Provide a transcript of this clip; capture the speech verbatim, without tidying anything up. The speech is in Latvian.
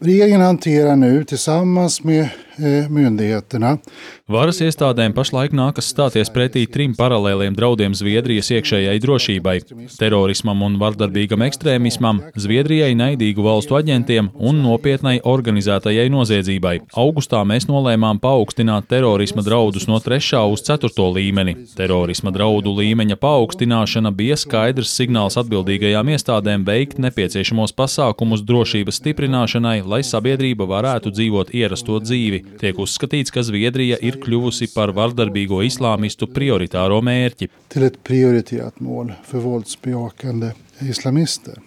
Regeringen hanterar nu tillsammans med eh, myndigheterna. Varas iestādēm pašlaik nākas stāties pretī trim paralēliem draudiem Zviedrijas iekšējai drošībai - terorismam un vardarbīgam ekstrēmismam, Zviedrijai naidīgu valstu aģentiem un nopietnai organizētajai noziedzībai. Augustā mēs nolēmām paaugstināt terorisma draudus no trešā uz ceturto līmeni. Terorisma draudu līmeņa paaugstināšana bija skaidrs signāls atbildīgajām iestādēm veikt nepieciešamos pasākumus drošības stiprināšanai, lai sabiedrība varētu dzīvot ierasto dzīvi. Tiek uzskatīts, ka Zviedrija ir kļuvusi par vardarbīgo islāmistu prioritāro mērķi. Till ett prioriterat mål för våldsbejakande islamister.